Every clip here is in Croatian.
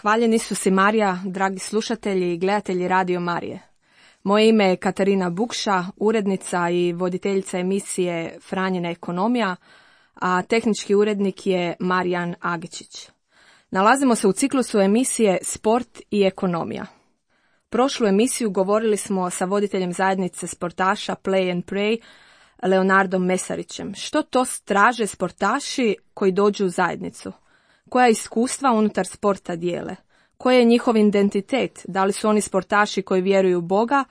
Hvaljeni su si Marija, dragi slušatelji i gledatelji Radio Marije. Moje ime je Katarina Bukša, urednica i voditeljica emisije Franjina ekonomija, a tehnički urednik je Marijan Agičić. Nalazimo se u ciklusu emisije Sport i ekonomija. Prošlu emisiju govorili smo sa voditeljem zajednice sportaša Play and Pray, Leonardom Mesarićem. Što to traže sportaši koji dođu u zajednicu? Koja iskustva unutar sporta dijele? Koji je njihov identitet? Da li su oni sportaši koji vjeruju u Boga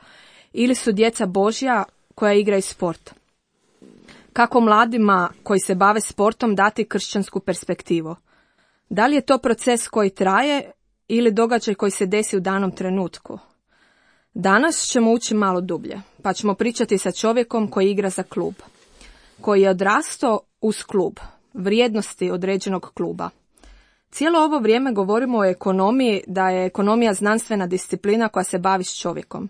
ili su djeca Božja koja igraju sport? Kako mladima koji se bave sportom dati kršćansku perspektivu? Da li je to proces koji traje ili događaj koji se desi u danom trenutku? Danas ćemo ući malo dublje, pa ćemo pričati sa čovjekom koji igra za klub, koji je odrastao uz klub, vrijednosti određenog kluba. Cijelo ovo vrijeme govorimo o ekonomiji, da je ekonomija znanstvena disciplina koja se bavi s čovjekom.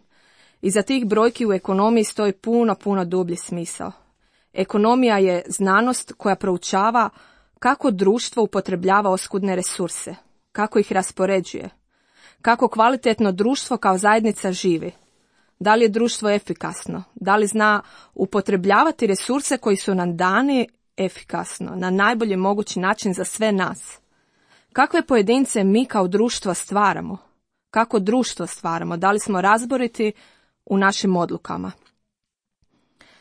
Iza tih brojki u ekonomiji stoji puno dublji smisao. Ekonomija je znanost koja proučava kako društvo upotrebljava oskudne resurse, kako ih raspoređuje, kako kvalitetno društvo kao zajednica živi. Da li je društvo efikasno? Da li zna upotrebljavati resurse koji su nam dani efikasno, na najbolji mogući način za sve nas? Kakve pojedince mi kao društvo stvaramo? Kako društvo stvaramo? Da li smo razboriti u našim odlukama?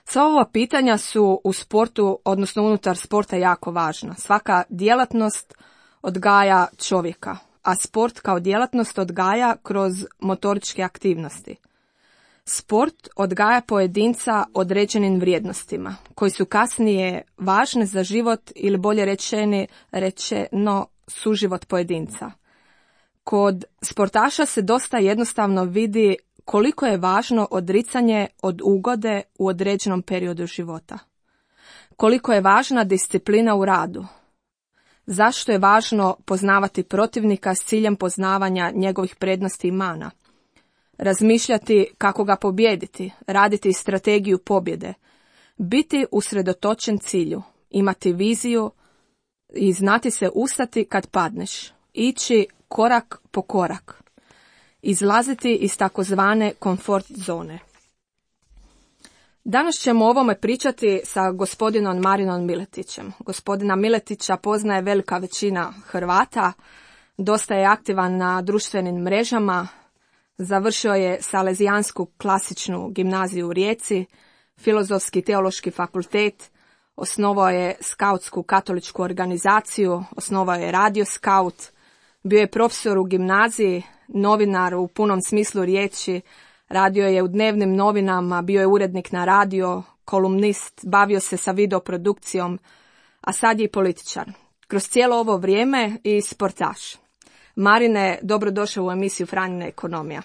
Sva ova pitanja su u sportu, odnosno unutar sporta, jako važna. Svaka djelatnost odgaja čovjeka, a sport kao djelatnost odgaja kroz motoričke aktivnosti. Sport odgaja pojedinca određenim vrijednostima, koji su kasnije važne za život ili bolje rečeno suživot pojedinca. Kod sportaša se dosta jednostavno vidi koliko je važno odricanje od ugode u određenom periodu života. Koliko je važna disciplina u radu. Zašto je važno poznavati protivnika s ciljem poznavanja njegovih prednosti i mana. Razmišljati kako ga pobijediti, raditi strategiju pobjede. Biti usredotočen cilju, imati viziju i znati se ustati kad padneš. Ići korak po korak. Izlaziti iz takozvane komfort zone. Danas ćemo o ovome pričati sa gospodinom Marinom Miletićem. Gospodina Miletića poznaje velika većina Hrvata, dosta je aktivan na društvenim mrežama, završio je Salezijansku klasičnu gimnaziju u Rijeci, Filozofski teološki fakultet, osnovao je skautsku katoličku organizaciju, osnovao je Radio Skaut, bio je profesor u gimnaziji, novinar u punom smislu riječi, radio je u dnevnim novinama, bio je urednik na radio, kolumnist, bavio se sa videoprodukcijom, a sad je i političar. Kroz cijelo ovo vrijeme i sportaš. Marine, dobrodošao u emisiju Franjina ekonomija.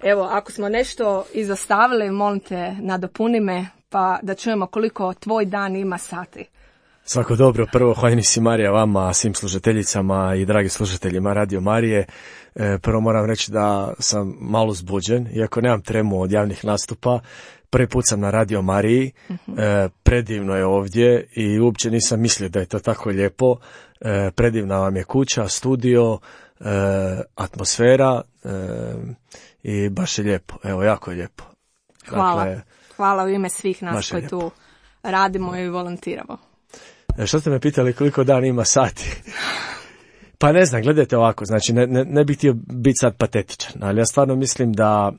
Evo, ako smo nešto izostavili, molim te, nadopuni me, pa da čujemo koliko tvoj dan ima sati. Svako dobro, prvo hvaljeni si Marija vama, svim slušateljicama i dragi slušateljima Radio Marije. Prvo moram reći da sam malo zbuđen, iako nemam tremu od javnih nastupa. Prvi put sam na Radio Mariji, predivno je ovdje i uopće nisam mislio da je to tako lijepo. Predivna vam je kuća, studio, atmosfera i baš je lijepo, evo jako je lijepo. Hvala, dakle, hvala u ime svih nas koji tu radimo i volontiramo. Što ste me pitali koliko dan ima sati? Pa ne znam, gledajte ovako, znači ne bih htio biti sad patetičan, ali ja stvarno mislim da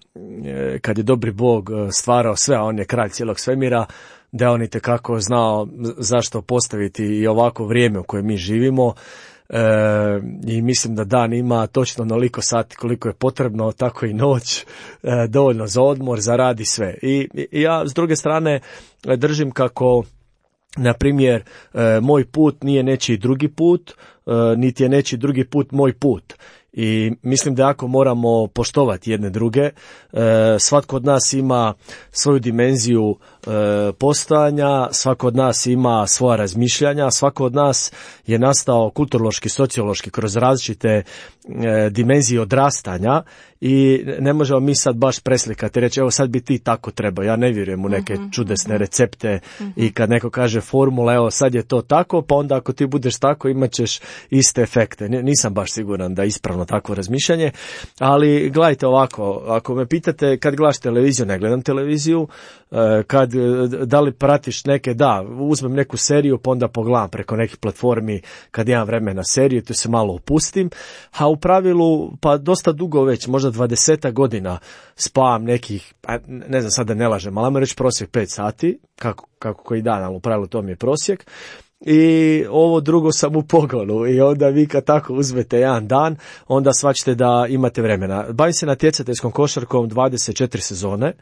kad je dobri Bog stvarao sve, a on je kralj cijelog svemira, da je on itekako znao zašto postaviti i ovako vrijeme u kojem mi živimo. I mislim da dan ima točno onoliko sati koliko je potrebno, tako i noć, dovoljno za odmor, za rad i sve. I ja s druge strane držim kako, na primjer, moj put nije nečiji drugi put, niti je nečiji drugi put moj put. I mislim da jako moramo poštovati jedne druge. Svatko od nas ima svoju dimenziju postojanja, svako od nas ima svoja razmišljanja, svako od nas je nastao kulturološki, sociološki kroz različite dimenzije odrastanja i ne možemo mi sad baš preslikati i reći evo sad bi ti tako trebao. Ja ne vjerujem u neke čudesne recepte i kad neko kaže formula evo sad je to tako, pa onda ako ti budeš tako imat ćeš iste efekte. Nisam baš siguran da ispravno originalno takvo razmišljanje, ali gledajte ovako, ako me pitate kad gledaš televiziju, ne gledam televiziju, da li pratiš neke, da, uzmem neku seriju pa onda pogledam preko nekih platformi kad imam vremena seriju, tu se malo opustim, a u pravilu pa dosta dugo već, možda 20 godina spavam nekih, ne znam sad da ne lažem, ali ajmo reći prosjek 5 sati, kako koji dan, ali u pravilu to mi je prosjek. I ovo drugo sam u pogonu i onda vi kad tako uzmete jedan dan, onda shvaćate da imate vremena. Bavim se natjecateljskom košarkom 24 sezone.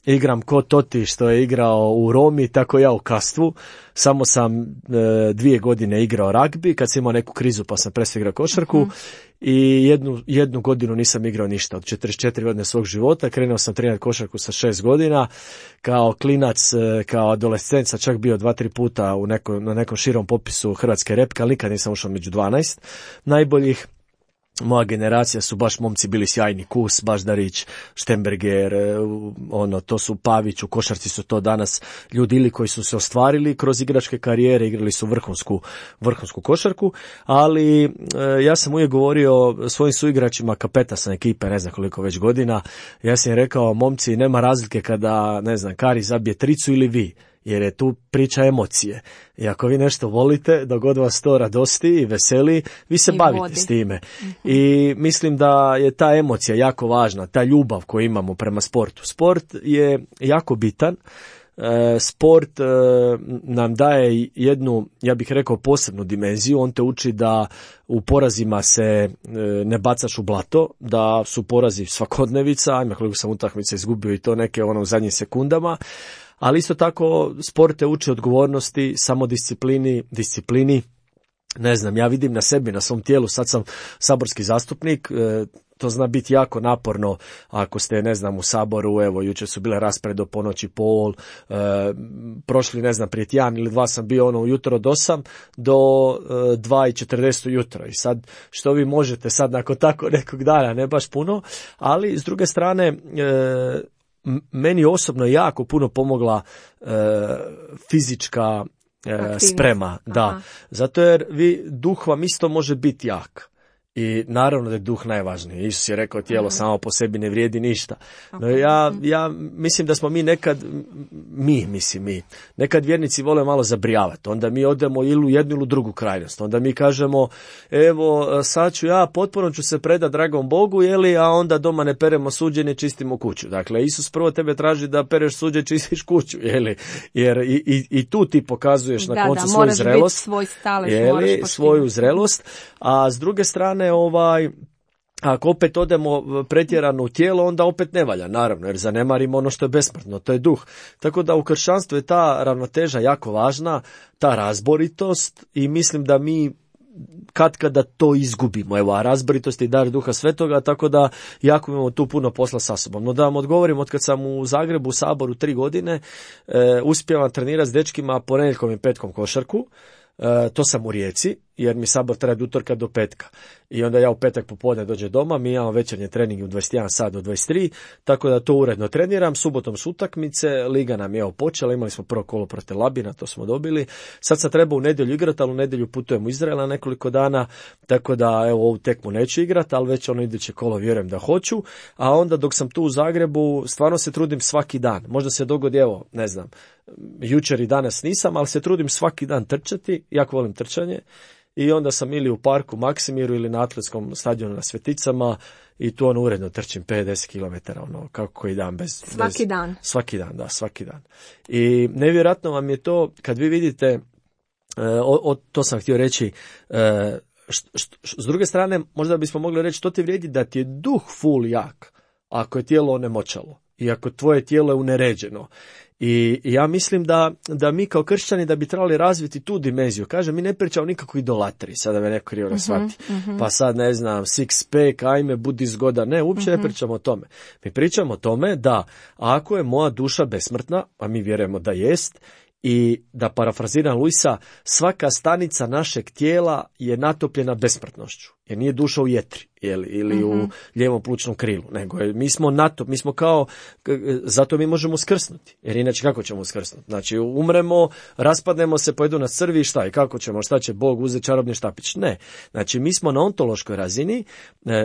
Igram ko Toti što je igrao u Romi, tako ja u Kastvu. Samo sam 2 godine igrao ragbi, kad sam imao neku krizu pa sam prestao igrao košarku. I jednu godinu nisam igrao ništa od 44 godine svog života. Krenuo sam trenirati košarku sa 6 godina. Kao klinac, kao adolescent sam čak bio 2-3 puta na nekom širom popisu Hrvatske repke, ali nikad nisam ušao među 12 najboljih. Moja generacija su baš momci bili sjajni, Kus, Baždarić, Štemberger, to su Pavić, u košarci su to danas ljudi ili koji su se ostvarili kroz igračke karijere, igrali su vrhunsku košarku, ali ja sam uvijek govorio svojim suigračima, kapeta sam ekipe, ne znam koliko već godina, ja sam im rekao, momci, nema razlike kada, ne znam, Kari zabije tricu ili vi, jer je tu priča emocije. I ako vi nešto volite, dok god vas to radosti i veseli, vi se bavite s time. I mislim da je ta emocija jako važna, ta ljubav koju imamo prema sportu. Sport je jako bitan. Sport nam daje jednu, ja bih rekao, posebnu dimenziju. On te uči da u porazima se ne bacaš u blato, da su porazi svakodnevica, ajme koliko sam utakmica izgubio i to neke u zadnjim sekundama. Ali isto tako sport te uči odgovornosti, disciplini. Ne znam, ja vidim na sebi, na svom tijelu, sad sam saborski zastupnik, to zna biti jako naporno ako ste, ne znam, u Saboru, evo, jučer su bile rasprave do ponoći pol, prošli, ne znam, prije tjedan ili 2 sam bio ujutro od 8 do 2:40 ujutro. I sad, što vi možete sad nakon tako nekog dana, ne baš puno, ali s druge strane, meni osobno jako puno pomogla fizička sprema, da. Zato jer duh vam isto može biti jak. I naravno da je duh najvažniji. Isus je rekao, tijelo samo po sebi ne vrijedi ništa. No ja mislim da smo mi nekad vjernici vole malo zabrijavati. Onda mi odemo ili u jednu ili u drugu krajnost. Onda mi kažemo, evo sad potpuno ću se predati dragom Bogu, a onda doma ne peremo suđe, ne čistimo kuću. Dakle, Isus prvo tebe traži da pereš suđe, čistiš kuću, jer i tu ti pokazuješ na koncu svoju zrelost. Svoj stalež, svoju zrelost, a s druge strane ako opet odemo pretjerano u tijelo, onda opet ne valja, naravno, jer zanemarimo ono što je besmrtno, to je duh. Tako da u kršćanstvu je ta ravnoteža jako važna, ta razboritost, i mislim da mi kada to izgubimo. Evo, a razboritost je dar Duha Svetoga, tako da jako imamo tu puno posla sa sobom. No da vam odgovorim, od kad sam u Zagrebu u Saboru 3 godine, uspijevam trenirati s dečkima ponedjeljkom i petkom košarku. To sam u Rijeci, jer mi Sabor traje od utorka do petka. I onda ja u petak popodne dođem doma, mi imamo večernje treninge u 21 sat do 23, tako da to uredno treniram. Subotom su utakmice, liga nam je počela, imali smo prvo kolo protiv Labina, to smo dobili. Sad sam trebao u nedjelju igrati, ali u nedjelju putujem u Izrael na nekoliko dana, tako da evo ovu tekmu neću igrati, ali već iduće kolo vjerujem da hoću. A onda dok sam tu u Zagrebu, stvarno se trudim svaki dan. Možda se dogodi, evo, ne znam, jučer i danas nisam, ali se trudim svaki dan trčati, jako volim trčanje. I onda sam ili u parku Maksimiru ili na atletskom stadionu na Sveticama i tu uredno trčim 50 km, kako koji dan. Svaki dan? Svaki dan. I nevjerojatno vam je to kad vi vidite, to sam htio reći, s druge strane možda bismo mogli reći, to ti vrijedi da ti je duh full jak ako je tijelo onemoćalo i ako tvoje tijelo je uneređeno. I ja mislim da mi kao kršćani da bi trebali razviti tu dimenziju. Kažem, mi ne pričamo nikakvu idolatriji, sada me neko krivo ne shvati. Pa sad ne znam, six pack, ajme, budi zgoda. Ne, uopće ne pričamo o tome. Mi pričamo o tome da ako je moja duša besmrtna, a mi vjerujemo da jest, I da parafraziram Luisa, svaka stanica našeg tijela je natopljena besmrtnošću, jer nije duša u jetri ili u lijevom plućnom krilu, nego mi smo kao, zato mi možemo skrsnuti, jer inače kako ćemo skrsnuti? Znači umremo, raspadnemo se, pojedu nas crvi i šta? I kako ćemo, šta će Bog uzeti čarobni štapić? Ne. Znači mi smo na ontološkoj razini,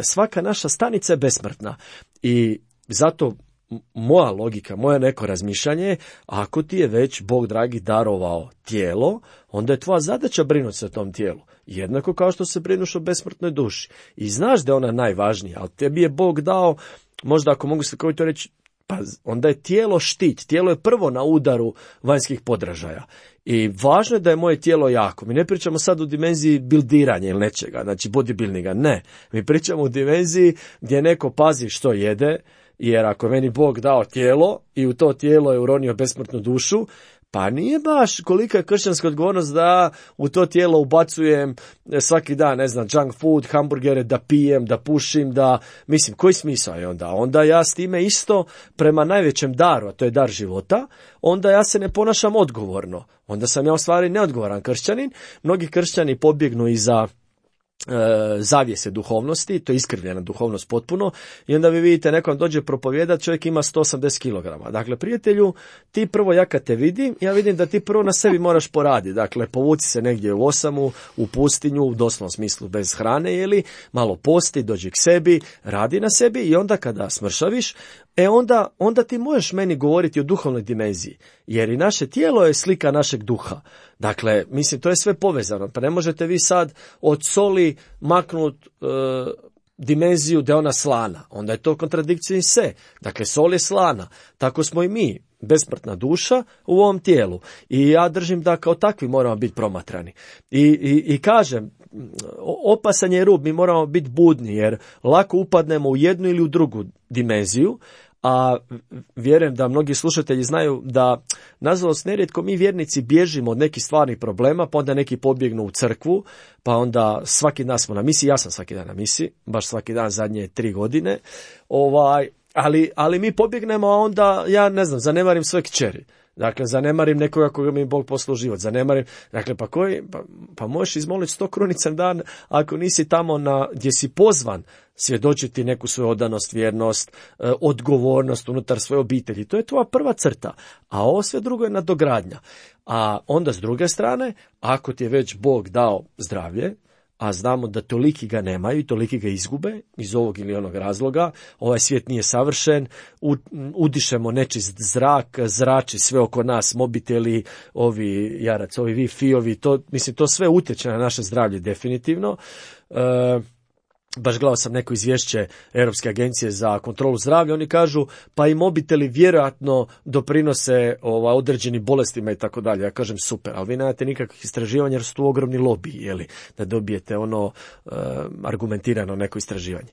svaka naša stanica je besmrtna i zato moja logika, moje neko razmišljanje, ako ti je već Bog dragi darovao tijelo, onda je tvoja zadaća brinuti se o tom tijelu. Jednako kao što se brinuš o besmrtnoj duši. I znaš da je ona najvažnija, ali tebi je Bog dao, možda ako mogu se to reći, pa onda je tijelo štit. Tijelo je prvo na udaru vanjskih podražaja. I važno je da je moje tijelo jako. Mi ne pričamo sad u dimenziji bildiranja ili nečega, znači bodybuildinga, ne. Mi pričamo u dimenziji gdje neko pazi što jede, jer ako je meni Bog dao tijelo i u to tijelo je uronio besmrtnu dušu, pa nije baš kolika je kršćanska odgovornost da u to tijelo ubacujem svaki dan, ne znam, junk food, hamburgere, da pijem, da pušim, da, mislim, koji smisao je onda? Onda ja s time isto prema najvećem daru, a to je dar života, onda ja se ne ponašam odgovorno. Onda sam ja u stvari neodgovoran kršćanin. Mnogi kršćani pobjegnu iza zavjese duhovnosti, to je iskrivljena duhovnost potpuno, i onda vi vidite nekom dođe propovijedat, čovjek ima 180 kg. Dakle, prijatelju, ti prvo, ja kad te vidim, ja vidim da ti prvo na sebi moraš poraditi. Dakle, povuci se negdje u osamu, u pustinju, u doslovnom smislu bez hrane, malo posti, dođi k sebi, radi na sebi i onda kada smršaviš, onda ti možeš meni govoriti o duhovnoj dimenziji, jer i naše tijelo je slika našeg duha. Dakle, mislim, to je sve povezano, pa ne možete vi sad od soli maknuti dimenziju da je ona slana, onda je to kontradikcija se. Dakle, sol je slana, tako smo i mi, besmrtna duša u ovom tijelu. I ja držim da kao takvi moramo biti promatrani. I kažem, opasan je rub, mi moramo biti budni, jer lako upadnemo u jednu ili u drugu dimenziju, a vjerujem da mnogi slušatelji znaju da, nažalost, nerijetko mi vjernici bježimo od nekih stvarnih problema, pa onda neki pobjegnu u crkvu, pa onda svaki dan smo na misiji, ja sam svaki dan na misiji, baš svaki dan zadnje 3 godine, ali mi pobjegnemo, a onda, ja ne znam, zanemarim svoje kćeri. Dakle, zanemarim nekoga koga mi Bog poslao život, zanemarim, dakle, pa možeš izmoliti 100 krunica dan ako nisi tamo gdje si pozvan svjedočiti neku svoju odanost, vjernost, odgovornost unutar svoje obitelji. To je tvoja prva crta, a ovo sve drugo je nadogradnja. A onda s druge strane, ako ti je već Bog dao zdravlje, a znamo da toliki ga nemaju i toliki ga izgube iz ovog ili onog razloga, ovaj svijet nije savršen, udišemo nečist zrak, zrači sve oko nas, mobiteli, ovi Wi-Fi-ovi, to sve utječe na naše zdravlje definitivno. Baš gledao sam neko izvješće Europske agencije za kontrolu zdravlja, oni kažu pa i mobiteli vjerojatno doprinose određenim bolestima i tako dalje. Ja kažem super, ali vi nemate nikakvih istraživanja jer su tu ogromni lobiji, da dobijete argumentirano neko istraživanje.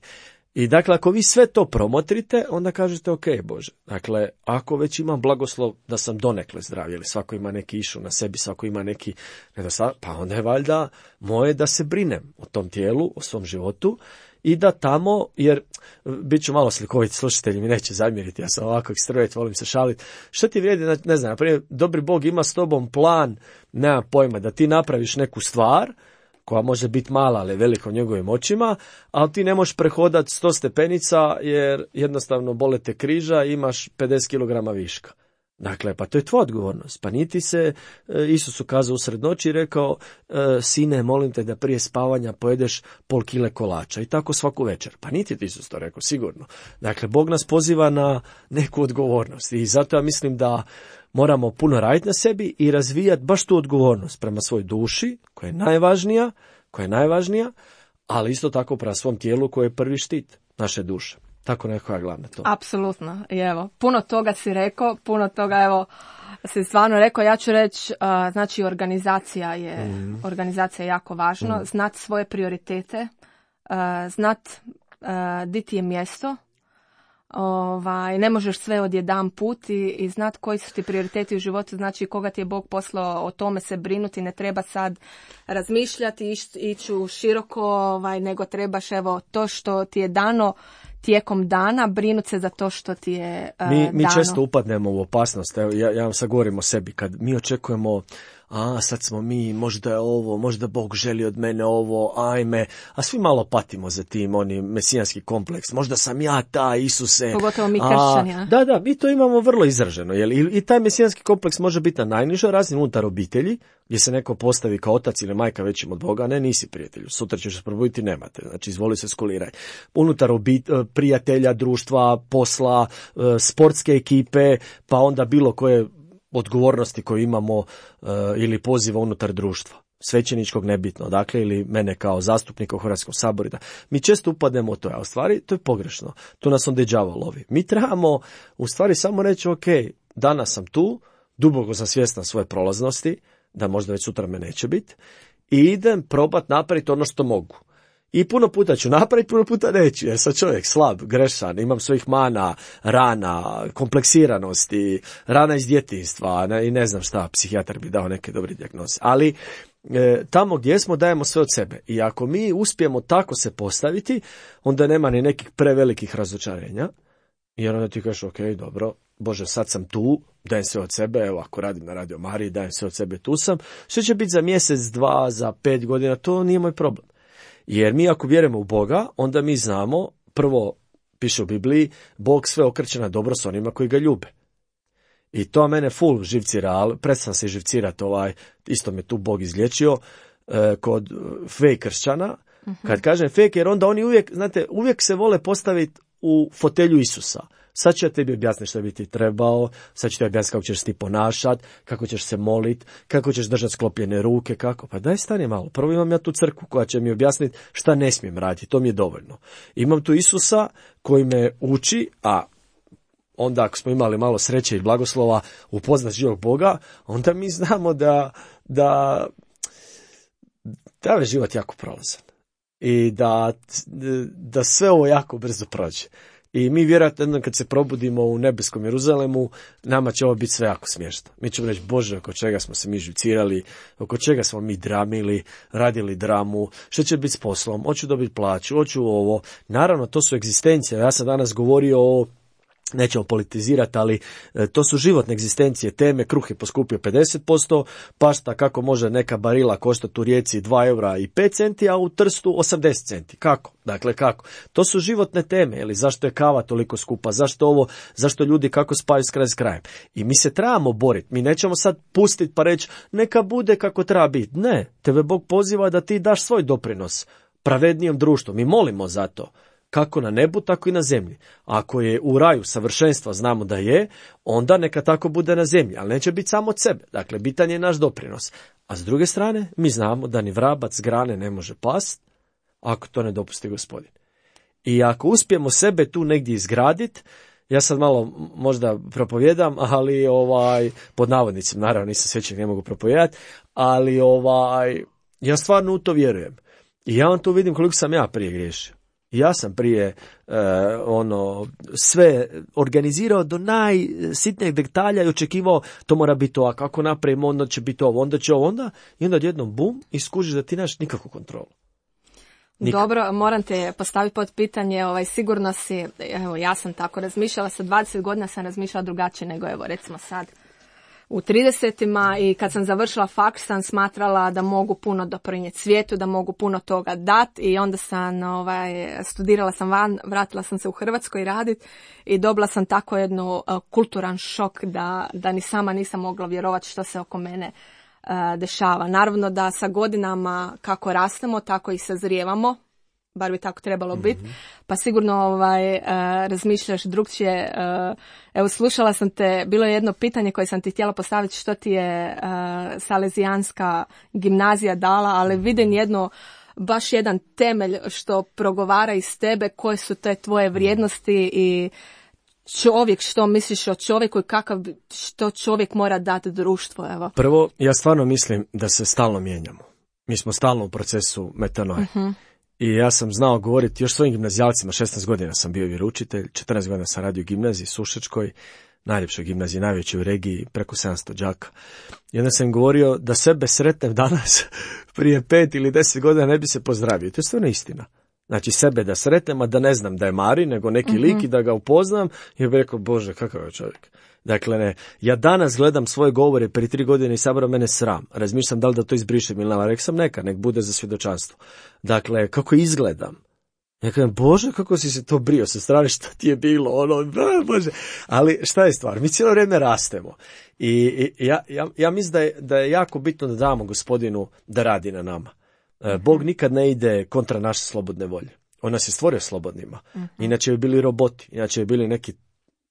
I dakle, ako vi sve to promotrite, onda kažete ok, Bože, dakle, ako već imam blagoslov da sam donekle zdrav, ili svako ima neki išu na sebi, svako ima neki nedostatak, pa onda je valjda moje da se brinem o tom tijelu, o svom životu i da tamo, jer bit ću malo slikovit, slušatelji mi neće zamjeriti, ja sam ovako ekstrovert, volim se šaliti, što ti vrijedi, ne znam, naprimjer, dobri Bog ima s tobom plan, nema pojma, da ti napraviš neku stvar, koja može biti mala, ali velika u njegovim očima, ali ti ne možeš prehodati 100 stepenica jer jednostavno bole te križa i imaš 50 kg viška. Dakle, pa to je tvoja odgovornost. Pa niti se Isus ukazao usred noći i rekao, sine, molim te da prije spavanja pojedeš pol kile kolača i tako svaku večer. Pa niti ti Isus to rekao, sigurno. Dakle, Bog nas poziva na neku odgovornost i zato ja mislim da moramo puno raditi na sebi i razvijati baš tu odgovornost prema svojoj duši, koja je najvažnija, ali isto tako prema svom tijelu koje je prvi štit naše duše. Tako neko je glavno to. Apsolutno. I evo, puno toga si rekao, puno toga si stvarno rekao. Ja ću reći, znači organizacija je jako važno. Znat svoje prioritete, znat di ti je mjesto. Ne možeš sve odjedan put i znat koji su ti prioriteti u životu, znači koga ti je Bog poslao, o tome se brinuti, ne treba sad razmišljati, ići široko, nego trebaš to što ti je dano, tijekom dana brinuti se za to što ti je mi dano. često upadnemo u opasnost. Evo, ja vam sad govorim o sebi. Kad mi očekujemo, sad smo mi, možda je ovo, možda Bog želi od mene ovo, ajme, a svi malo patimo za tim, oni mesijanski kompleks. Možda sam ja taj, Isuse. Pogotovo mi kršćani. Da, mi to imamo vrlo izraženo. I taj mesijanski kompleks može biti na najnižoj razini unutar obitelji, gdje se neko postavi kao otac ili majka većim od Boga, ne, nisi prijatelju, sutra ćeš se probuditi, nemate, znači izvoli se skuliraj. Unutar prijatelja, društva, posla, sportske ekipe, pa onda bilo koje odgovornosti koje imamo ili poziva unutar društva, svećeničkog, nebitno, dakle, ili mene kao zastupnika u Hrvatskom saboru. Mi često upadnemo u to, a u stvari to je pogrešno. Tu nas onda đavo lovi. Mi trebamo u stvari samo reći, ok, danas sam tu, duboko sam svjestan svoje prolaznosti, da možda već sutra me neće biti, i idem probat napraviti ono što mogu. I puno puta ću napraviti, puno puta neću, jer sam čovjek slab, grešan, imam svojih mana, rana, kompleksiranosti, rana iz djetinjstva i ne znam šta, psihijatar bi dao neke dobre dijagnoze. Ali tamo gdje smo dajemo sve od sebe. I ako mi uspijemo tako se postaviti, onda nema ni nekih prevelikih razočarenja, jer onda ti kažeš, ok, dobro, Bože, sad sam tu, dajem sve od sebe, evo ako radim na Radio Mariji, dajem sve od sebe, tu sam. Što će biti za mjesec, 2, za 5 godina, to nije moj problem. Jer mi ako vjerujemo u Boga, onda mi znamo, prvo piše u Bibliji, Bog sve okreće na dobro s onima koji ga ljube. I to mene full živcira, ali prestam se živcirati, isto me tu Bog izliječio, kod fake kršćana. Kad kažem fake, jer onda oni uvijek se vole postaviti u fotelju Isusa. Sad ću ja tebi objasniti što bi ti trebao, sad ću ti objasniti kako ćeš ti ponašati, kako ćeš se moliti, kako ćeš držati sklopljene ruke, kako. Pa daj stani malo, prvo imam ja tu crkvu koja će mi objasniti šta ne smijem raditi, to mi je dovoljno. Imam tu Isusa koji me uči, a onda ako smo imali malo sreće i blagoslova upoznat živog Boga, onda mi znamo da je život jako prolazan i da sve ovo jako brzo prođe. I mi vjerojatno kad se probudimo u nebeskom Jeruzalemu, nama će ovo biti sve jako smiješno. Mi ćemo reći, Bože, oko čega smo se mi živcirali, oko čega smo mi dramili, radili dramu, što će biti s poslom, hoću dobiti plaću, hoću ovo. Naravno, to su egzistencije. Ja sam danas govorio o, nećemo politizirati, ali to su životne egzistencije, teme, kruh je poskupio 50%, pašta kako može neka barila koštati u Rijeci 2 eura i 5 centi, a u Trstu 80 centi. Kako? Dakle, kako? To su životne teme, ili zašto je kava toliko skupa, zašto ljudi kako spaju s krajem. I mi se trebamo boriti, mi nećemo sad pustiti pa reći neka bude kako treba biti. Ne, tebe Bog poziva da ti daš svoj doprinos pravednijem društvu, mi molimo za to. Kako na nebu, tako i na zemlji. Ako je u raju savršenstva, znamo da je, onda neka tako bude na zemlji, ali neće biti samo od sebe. Dakle, bitan je naš doprinos. A s druge strane, mi znamo da ni vrabac s grane ne može past, ako to ne dopusti Gospodin. I ako uspijemo sebe tu negdje izgraditi, ja sad malo možda propovijedam, ali pod navodnicima, naravno nisam svećenik, ne mogu propovijedati, ali ja stvarno u to vjerujem. I ja vam tu vidim koliko sam ja prije griješio. Ja sam prije sve organizirao do najsitnijeg detalja i očekivao to mora biti ovako, ako napravimo onda će biti ovo, onda će ovo, i onda odjednom bum i skužiš da ti nemaš nikakvu kontrolu. Dobro, moram te postaviti pod pitanje, sigurno si, evo ja sam tako razmišljala, sa 20 godina sam razmišljala drugačije nego evo recimo sad. U 30-ima i kad sam završila faks sam smatrala da mogu puno doprinijeti svijetu, da mogu puno toga dati i onda sam studirala sam van, vratila sam se u Hrvatskoj raditi i dobila sam tako jednu kulturan šok da ni sama nisam mogla vjerovati što se oko mene dešava. Naravno da sa godinama kako rastemo, tako i sazrijevamo, bar bi tako trebalo biti, pa sigurno razmišljaš drugčije. Evo, slušala sam te, bilo je jedno pitanje koje sam ti htjela postaviti, što ti je Salezijanska gimnazija dala, ali vidim baš jedan temelj što progovara iz tebe, koje su te tvoje vrijednosti i čovjek, što misliš o čovjeku i što čovjek mora dati društvu, evo. Prvo, ja stvarno mislim da se stalno mijenjamo. Mi smo stalno u procesu metanoje. I ja sam znao govoriti još svojim gimnazijalcima, 16 godina sam bio vjeroučitelj, 14 godina sam radio u gimnaziji Sušačkoj, najljepšoj gimnaziji, najvećoj u regiji, preko 700 đaka. I onda sam govorio da sebe sretnem danas, prije 5 ili 10 godina ne bi se pozdravio. To je stvarno istina. Znači sebe da sretnem, a da ne znam da je Mari, nego neki lik i da ga upoznam, i bih rekao, Bože, kakav je čovjek. Dakle, ne, ja danas gledam svoje govore prije 3 godine i sabora mene sram. Razmišljam da li da to izbrišem ili ne, rekao sam nek bude za svjedočanstvo. Dakle, kako izgledam. Ja kažem, Bože, kako si se to brio sa strane, šta ti je bilo, Bože. Ali šta je stvar? Mi cijelo vrijeme rastemo. I ja mislim da je jako bitno da damo Gospodinu da radi na nama. Bog nikad ne ide kontra naše slobodne volje. On nas je stvorio slobodnima. Inače bi bili roboti, inače bi bili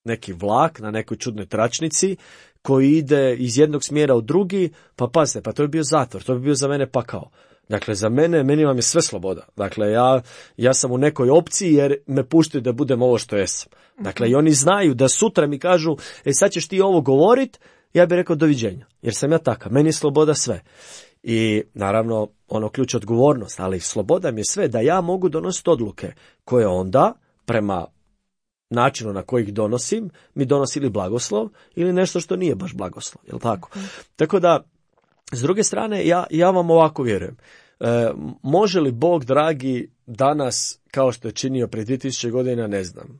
neki vlak na nekoj čudnoj tračnici koji ide iz jednog smjera u drugi, pa pazite, pa to bi bio zatvor, to bi bio za mene pakao. Dakle, za meni vam je sve sloboda. Dakle, ja sam u nekoj opciji jer me puštaju da budem ovo što jesam. Dakle, i oni znaju da sutra mi kažu, sad ćeš ti ovo govorit, ja bih rekao doviđenja, jer sam ja takav, meni je sloboda sve. I naravno, ključ odgovornost, ali sloboda mi je sve da ja mogu donositi odluke koje onda, prema načinu na koji ih donosim, mi donosi ili blagoslov ili nešto što nije baš blagoslov, jel tako? Tako da, s druge strane, ja vam ovako vjerujem. Može li Bog, dragi, danas, kao što je činio prije 2000 godina, ne znam,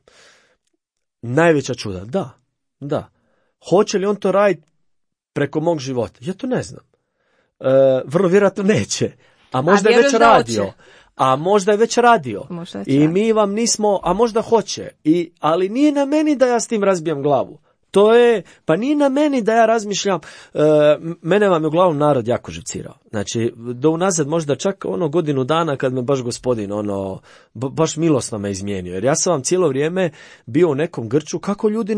najveća čuda? Da. Hoće li on to raditi preko mog života? Ja to ne znam. Vrlo vjerojatno neće. A možda je već radio. A možda je već radio. I mi vam nismo, a možda hoće. Ali nije na meni da ja s tim razbijam glavu. Pa nije na meni da ja razmišljam, mene vam je uglavnom narod jako živcirao. Znači, do unazad možda čak godinu dana kad me baš Gospodin, baš milosno me izmijenio. Jer ja sam vam cijelo vrijeme bio u nekom grču, kako ljudi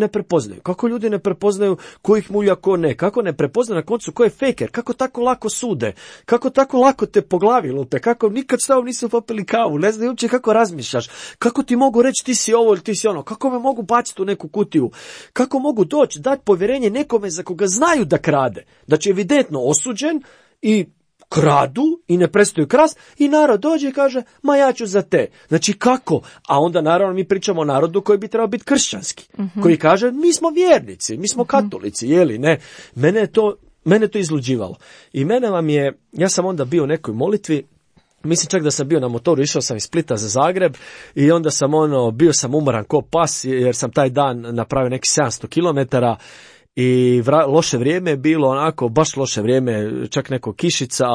ne prepoznaju ko ih mulja, ko ne, kako ne prepoznaju na koncu ko je fejker, kako tako lako sude, kako tako lako te po glavi lupe, kako nikad s tobom nisu popili kavu, ne znam uopće kako razmišljaš, kako ti mogu reći ti si ovo ili ti si ono, kako me mogu baciti u neku kutiju, kako mogu doći, dati povjerenje nekome za koga znaju da krade, da će evidentno osuđen i kradu i ne prestaju krast i narod dođe i kaže, ma ja ću za te. Znači kako? A onda naravno mi pričamo o narodu koji bi trebao biti kršćanski, koji kaže, mi smo vjernici, mi smo katolici, jeli ne? Mene to izluđivalo. I ja sam onda bio u nekoj molitvi, mislim čak da sam bio na motoru, išao sam iz Splita za Zagreb i onda sam bio sam umoran ko pas jer sam taj dan napravio neki 700 kilometara i loše vrijeme je bilo, onako baš loše vrijeme, čak neko kišica,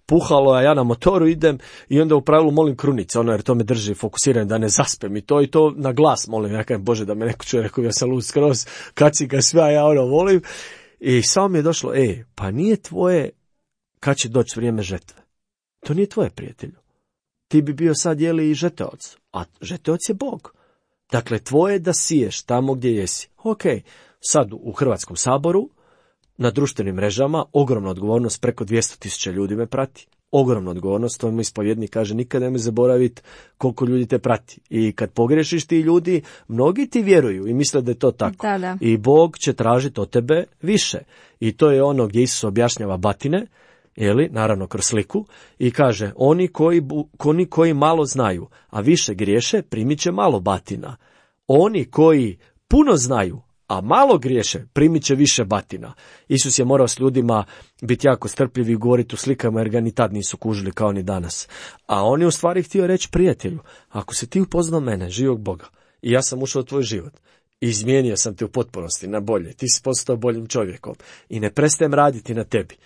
puhalo, a ja na motoru idem i onda u pravilu molim krunice, jer to me drži fokusiran da ne zaspem i to na glas molim, ja kažem, Bože da me neko čuje, rekao ja sam lud skroz, kad si ga sve, a ja volim i samo mi je došlo, pa nije tvoje kad će doći vrijeme žetve. To nije tvoje, prijatelju. Ti bi bio sad i žeteoc, a žeteoc je Bog. Dakle, tvoje da siješ tamo gdje jesi. Ok, sad u Hrvatskom saboru, na društvenim mrežama, ogromna odgovornost, preko 200.000 ljudi me prati. Ogromna odgovornost, to mi ispovjednik kaže, nikad nemoj zaboraviti koliko ljudi te prati. I kad pogrešiš ti ljudi, mnogi ti vjeruju i misle da je to tako. Da. I Bog će tražiti od tebe više. I to je ono gdje Isus objašnjava batine, naravno kroz sliku, i kaže, oni koji malo znaju, a više griješe, primit će malo batina. Oni koji puno znaju, a malo griješe, primit će više batina. Isus je morao s ljudima biti jako strpljiv i govoriti u slikama, jer ga ni tad nisu kužili kao ni danas. A on je u stvari htio reći, prijatelju, ako si ti upoznao mene, živog Boga, i ja sam ušao u tvoj život, izmijenio sam te u potpunosti na bolje, ti si postao boljim čovjekom i ne prestajem raditi na tebi.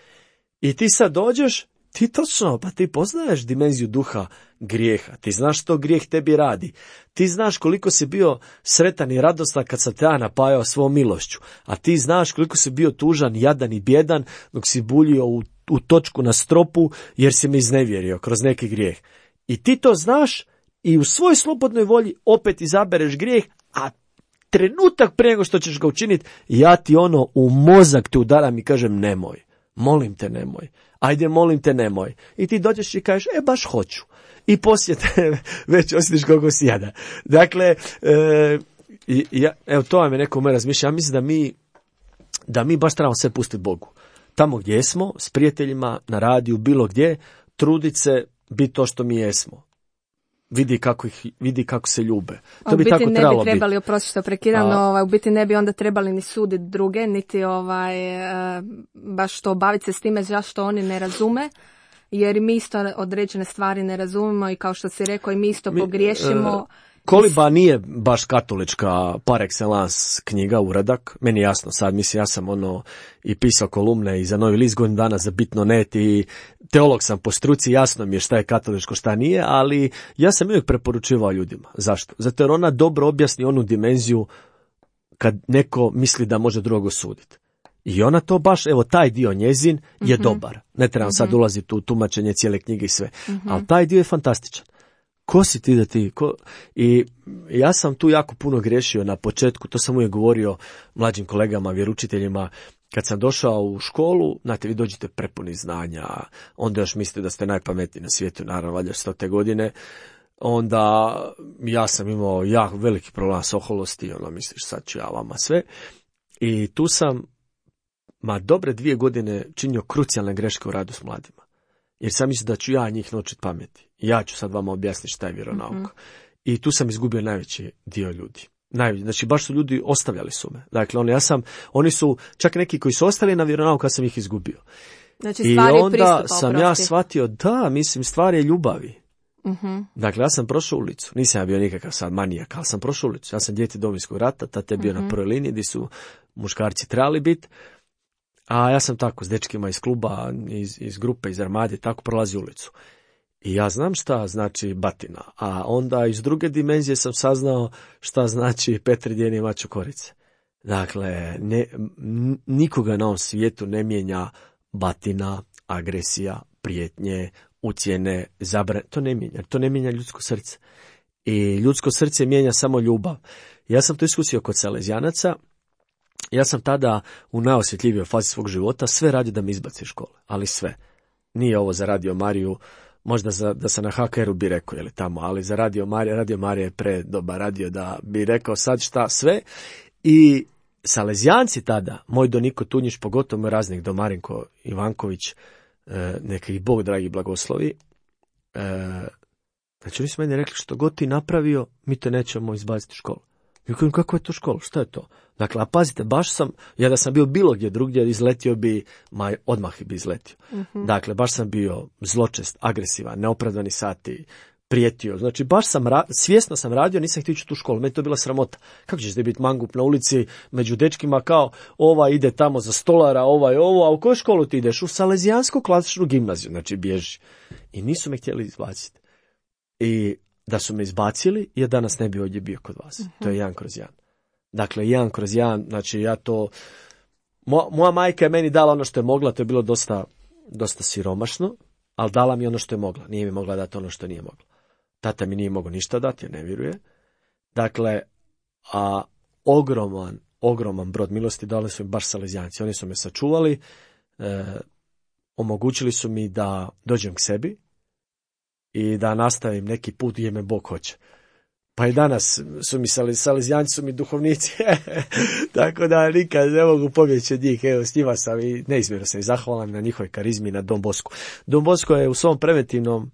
I ti sad dođeš, ti točno, pa ti poznaješ dimenziju duha grijeha, ti znaš što grijeh tebi radi, ti znaš koliko si bio sretan i radostan kad sam te ja napajao svom milošću, a ti znaš koliko si bio tužan, jadan i bjedan dok si buljio u točku na stropu jer si me iznevjerio kroz neki grijeh. I ti to znaš i u svojoj slobodnoj volji opet izabereš grijeh, a trenutak prije nego što ćeš ga učiniti, ja ti u mozak te udaram i kažem nemoj. Molim te nemoj. Ajde, molim te nemoj. I ti dođeš i kažeš, baš hoću. I poslije te već osjetiš koliko si jada. Dakle, evo to vam je neko moje razmišljanje. Ja mislim da mi baš trebamo sve pustiti Bogu. Tamo gdje smo, s prijateljima, na radiju, bilo gdje, truditi se biti to što mi jesmo. Vidi kako se ljube. To bi tako trebalo biti. Ne bi trebali, oprosti što prekidam, no u biti ne bi onda trebali ni suditi druge, niti baš to baviti se s time zašto oni ne razume, jer mi isto određene stvari ne razumemo i kao što si rekao i mi isto pogriješimo. Koliba nije baš katolička par excellence knjiga, uradak. Meni je jasno sad, mislim, ja sam i pisao kolumne i za Novi list godinu dana za Bitno.net i teolog sam po struci, jasno mi je šta je katoličko, šta nije, ali ja sam uvijek preporučivao ljudima. Zašto? Zato jer ona dobro objasni onu dimenziju kad neko misli da može drugo suditi. I ona to baš, evo, taj dio njezin je dobar. Ne trebam sad ulaziti u tumačenje cijele knjige i sve. Ali taj dio je fantastičan. Ko si ti da ti? I ja sam tu jako puno griješio na početku, to sam uvijek govorio mlađim kolegama, vjeručiteljima, kad sam došao u školu, znate, vi dođete prepuni znanja, onda još mislite da ste najpametniji na svijetu, naravno, valjda 100. godine, onda ja sam imao jako veliki problem s oholosti, misliš sad ću ja vama sve, i tu sam dobre 2 godine činio krucijalne greške u radu s mladima. Jer sam mislio da ću ja njih naučiti pameti. Ja ću sad vama objasniti šta je vjeronauka. I tu sam izgubio najveći dio ljudi. Znači, baš su ljudi ostavljali su me. Dakle, oni su, čak neki koji su ostali na vjeronauku, ja sam ih izgubio. Znači, i onda sam ja shvatio, da, mislim, stvar je ljubavi. Dakle, ja sam prošao ulicu. Nisam ja bio nikakav sad manijak, ali sam prošao ulicu. Ja sam dijete Domovinskog rata, tada je bio na prvoj liniji gdje su muškarci trebali biti. A ja sam tako s dečkima iz kluba, iz grupe, iz armade, tako prolazi ulicu. I ja znam šta znači batina. A onda iz druge dimenzije sam saznao šta znači Petri djeni maču korice. Dakle, nikoga na ovom svijetu ne mijenja batina, agresija, prijetnje, ucjene, zabrane. To ne mijenja ljudsko srce. I ljudsko srce mijenja samo ljubav. Ja sam to iskusio kod Salezijanaca. Ja sam tada u najosjetljivijoj fazi svog života sve radio da me izbaci iz škole, ali sve. Nije ovo za Radio Mariju, možda da sam na HKR-u bi rekao, tamo, ali za Radio Marija je predobar radio da bi rekao sad šta sve. I Salezijanci tada, moj Doniko Tunjić, pogotovo moj raznik Domarinko Ivanković, neka ih Bog dragi blagoslovi, znači oni su meni rekli što god ti napravio, mi te nećemo izbaciti iz škole. I kažem, kako je to škola? Šta je to? Dakle, a pazite, baš sam, ja da sam bio bilo gdje drugdje, izletio bi, odmah bi izletio. Dakle, baš sam bio zločest, agresivan, neopravdani sati, prijetio. Znači, baš sam, svjesno sam radio, nisam htio ići u tu školu. Meni to bila sramota. Kako ćeš ti biti mangup na ulici među dečkima kao, ova ide tamo za stolara, ova je ovo, a u koju školu ti ideš? U Salezijansku klasičnu gimnaziju, znači bježi. I nisu me htjeli izbaciti. I da su me izbacili, ja danas ne bi ovdje bio kod vas. To je 1/1. Dakle, 1/1, znači ja to... Moja majka je meni dala ono što je mogla, to je bilo dosta siromašno, ali dala mi ono što je mogla. Nije mi mogla dati ono što nije mogla. Tata mi nije mogao ništa dati, jer ne vjeruje. Dakle, a ogroman brod milosti dali su mi baš Salezijanci. Oni su me sačuvali, omogućili su mi da dođem k sebi, i da nastavim neki put gdje me Bog hoće. Pa i danas su mi Salezijanci, su mi duhovnici, tako da nikad ne mogu pobjeći od njih. Evo, s njima sam i neizmjerno sam i zahvalan na njihovoj karizmi, na Don Bosku. Don Bosko je u svom preventivnom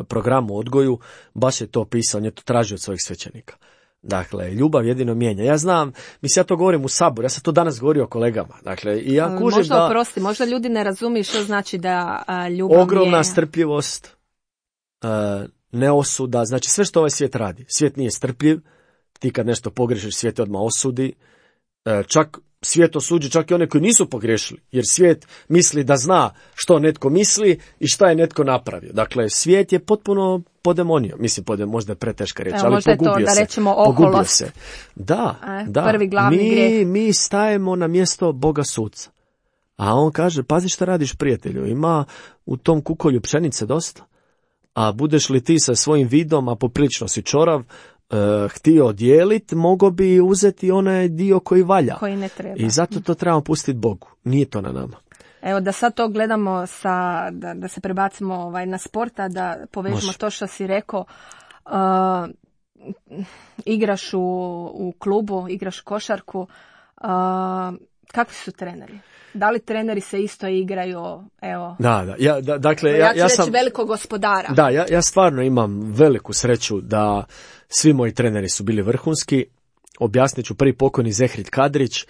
programu odgoju, baš je to pisao, on je to tražio od svojih svećenika. Dakle, ljubav jedino mijenja. Ja znam, mislim, ja to govorim u Saboru, ja sam to danas govorio kolegama. Dakle, i ja kužim možda oprosti, možda ljudi ne razumiju što znači da ljubav ogromna mijenja. Strpljivost, neosuda, znači sve što ovaj svijet radi. Svijet nije strpljiv, ti kad nešto pogrešiš, svijet odmah osudi. Čak svijet osuđi čak i one koji nisu pogriješili, jer svijet misli da zna što netko misli i šta je netko napravio. Dakle, svijet je potpuno podemonio. Mislim, možda je preteška riječ, ali pogubio se. Da rečemo oholost. Da. Prvi glavni grijeh. Mi stajemo na mjesto Boga suca. A on kaže, pazi šta radiš, prijatelju, ima u tom kukolju pšenice dosta. A budeš li ti sa svojim vidom, a poprilično si čorav, htio dijeliti, mogo bi uzeti onaj dio koji valja. Koji ne treba. I zato to trebamo pustiti Bogu. Nije to na nama. Evo, da sad to gledamo, da se prebacimo na sporta, da povežemo to što si rekao. Igraš u klubu, igraš košarku. Kakvi su treneri? Da li treneri se isto igraju? Evo. Da. Dakle, ja sam velikog gospodara. Da, ja stvarno imam veliku sreću da svi moji treneri su bili vrhunski. Objasnit ću, prvi pokojni Zehrid Kadrić,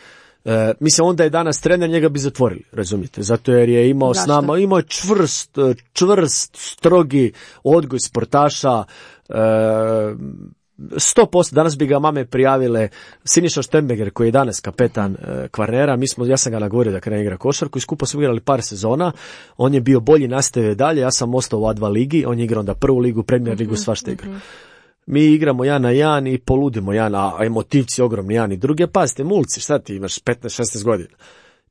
Mislim, onda je danas trener, njega bi zatvorili, razumijete, zato jer je imao s nama, imao je čvrst, strogi odgoj sportaša, 100%, danas bi ga mame prijavile. Siniša Štembeger, koji je danas kapetan Kvarnera, ja sam ga nagovorio da krene igra košarku i skupo smo igrali par sezona, on je bio bolji, nastavio dalje, ja sam ostao u A2 ligi, on je igrao onda prvu ligu, Premier ligu, svašta igra. Mi igramo 1-1 i poludimo a emotivci ogromni jedan i druge, pazite, mulci, šta ti imaš, 15-16 godina,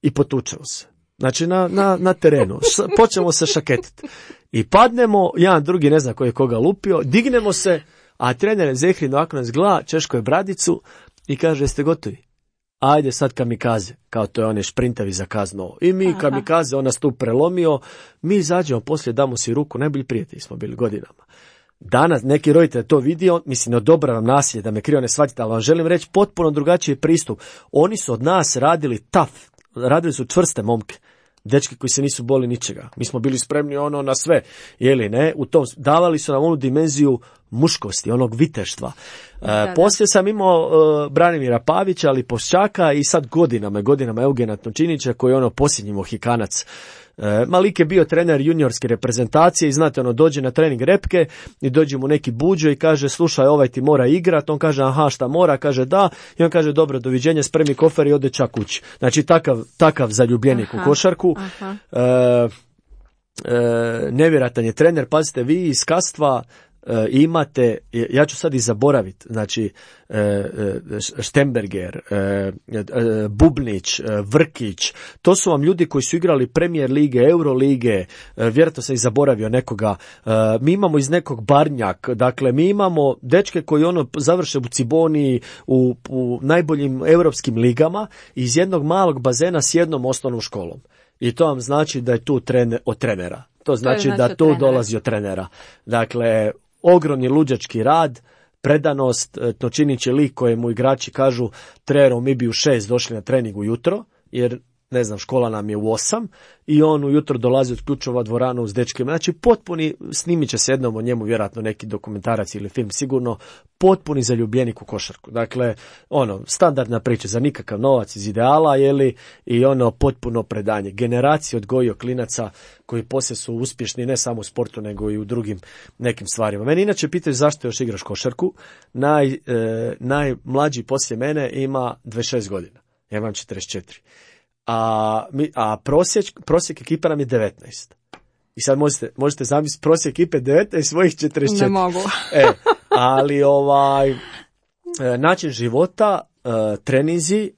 i potučemo se. Znači na terenu, počnemo se šaketiti. I padnemo, jedan drugi ne zna ko je koga lupio, dignemo se, a trener Zehrin ovako nas gleda, češko je bradicu i kaže, jeste gotovi? Ajde sad kamikaze, kao to je one šprintavi za kazno. I mi kamikaze, on nas tu prelomio, mi izađemo, poslije damo si ruku, najbolji prijatelji smo bili godinama. Danas neki roditelj to vidio, mislim, ne odobravam nasilje, da me krivo ne shvatite, ali vam želim reći potpuno drugačiji pristup. Oni su od nas radili radili su čvrste momke, dečki koji se nisu boli ničega. Mi smo bili spremni na sve, ne? Davali su nam onu dimenziju muškosti, onog viteštva. Poslije sam imao Branimira Pavića, ali Poščaka i sad godinama Eugena Tončinića, koji je posljednji Mohikanac. Malik je bio trener juniorske reprezentacije i znate, dođe na trening repke i dođe mu neki buđo i kaže, slušaj, ovaj ti mora igrat, on kaže, aha, šta mora, kaže da, i on kaže, dobro, doviđenja, spremi kofer i ode čak kući. Znači, takav zaljubljenik u košarku. Nevjerojatan je trener, pazite, vi iz Kastva imate, ja ću sad i zaboraviti, znači Štemberger, Bubnić, Vrkić, to su vam ljudi koji su igrali Premier lige, Euro lige, vjerojatno sam i zaboravio nekoga. Mi imamo iz nekog Barnjak, dakle mi imamo dečke koji završe u Ciboni, u najboljim europskim ligama, iz jednog malog bazena s jednom osnovnom školom. I to vam znači da je tu od trenera. To znači da tu dolazi od trenera. Dakle, ogromni luđački rad, predanost, Tončinić je lik kojemu igrači kažu, treneru, mi bi u 6 došli na trening ujutro, jer ne znam, škola nam je u 8 i on ujutro dolazi od ključova dvoranu s dečkima. Znači, potpuni, snimit će se jednom o njemu vjerojatno neki dokumentarac ili film sigurno, potpuni zaljubljenik u košarku. Dakle, standardna priča, za nikakav novac iz ideala, i potpuno predanje. Generacije odgojio klinaca koji poslije su uspješni ne samo u sportu, nego i u drugim nekim stvarima. Meni inače pitaju zašto još igraš košarku. Najmlađi poslije mene ima 26 godina. Ja imam 44. A prosjek ekipa nam je 19. I sad možete zamisliti prosjek ekipe 19 svojih 44. Ne mogu. Ali način života, treninzi,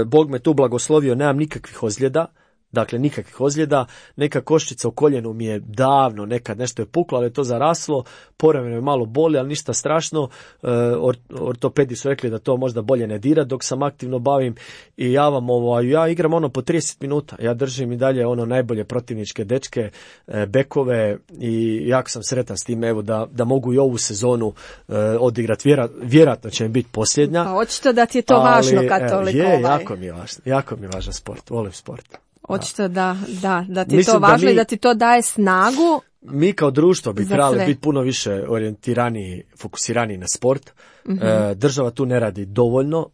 Bog me tu blagoslovio, nemam nikakvih ozljeda. Dakle, nikakvih ozljeda, neka koščica u koljenu mi je davno, nekad nešto je puklo, ali je to zaraslo, povremeno je malo boli, ali ništa strašno, ortopedi su rekli da to možda bolje ne dira dok sam aktivno bavim i ja igram po 30 minuta, ja držim i dalje najbolje protivničke dečke, bekove i jako sam sretan s tim, evo, da mogu i ovu sezonu odigrati, vjerojatno će mi biti posljednja. Pa očito da ti je to važno kad toliko jako mi je važan sport, volim sport. Očito da ti je to važno i da ti to daje snagu. Mi kao društvo bi trebali biti puno više orijentirani, fokusirani na sport. Država tu ne radi dovoljno.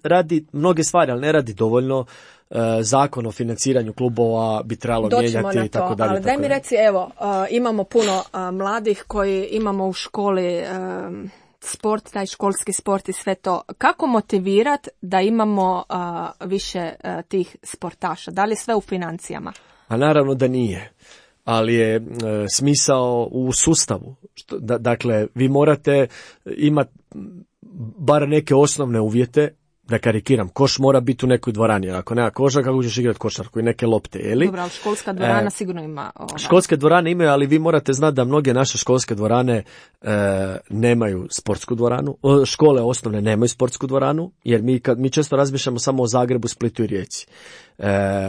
Radi mnoge stvari, ali ne radi dovoljno. Zakon o financiranju klubova bi trebalo mijenjati i tako dalje. Ali daj mi reci, evo, imamo puno mladih koji imamo u školi sport, taj školski sport i sve to. Kako motivirati da imamo više tih sportaša? Da li je sve u financijama? A naravno da nije, ali je smisao u sustavu. Dakle, vi morate imati bar neke osnovne uvjete. Da karikiram, koš mora biti u nekoj dvorani, ako nema koša, kako ćeš igrati košarku i neke lopte, je li? Dobro, ali školska dvorana sigurno ima. Školske dvorane imaju, ali vi morate znati da mnoge naše školske dvorane nemaju sportsku dvoranu, škole osnovne nemaju sportsku dvoranu, jer mi često razmišljamo samo o Zagrebu, Splitu i Rijeci.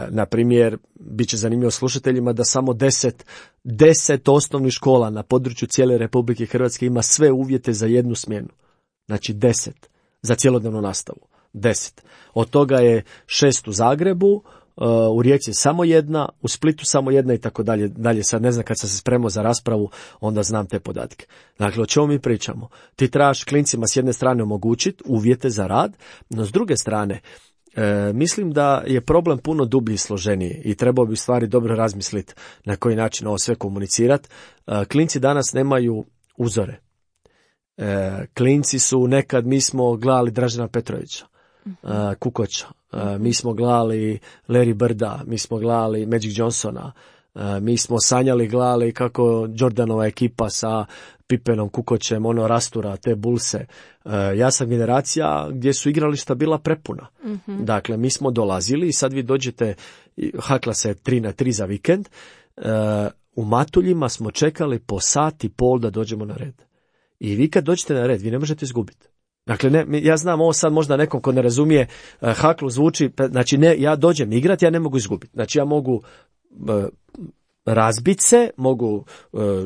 Na primjer, bit će zanimljivo slušateljima da samo 10 osnovnih škola na području cijele Republike Hrvatske ima sve uvjete za jednu smjenu. Znači 10 za cjelodnevnu nastavu. 10. Od toga je 6 u Zagrebu, u Rijeci samo 1, u Splitu samo 1 i tako dalje. Dalje sad ne znam, kad sam se spremao za raspravu, onda znam te podatke. Dakle, o čemu mi pričamo? Ti trebaš klincima s jedne strane omogućiti uvjete za rad, no s druge strane Mislim da je problem puno dublji i složeniji i trebao bi stvari dobro razmisliti na koji način ovo sve komunicirati. Klinci danas nemaju uzore. Klinci su nekad, mi smo gledali Dražena Petrovića, Kukoća, mi smo gledali Larry Birda, mi smo gledali Magic Johnsona, mi smo sanjali, gledali kako Jordanova ekipa sa Pippenom, Kukoćem, rastura te Bullse. Ja sam generacija gdje su igrališta bila prepuna. Dakle, mi smo dolazili i sad vi dođete, hakla se 3-3 za vikend, u Matuljima smo čekali po sat i pol da dođemo na red. I vi kad dođete na red, vi ne možete izgubiti. Dakle, ja znam ovo sad možda nekom ko ne razumije, haklu zvuči, znači ja dođem igrati, ja ne mogu izgubiti. Znači ja mogu razbiti se, mogu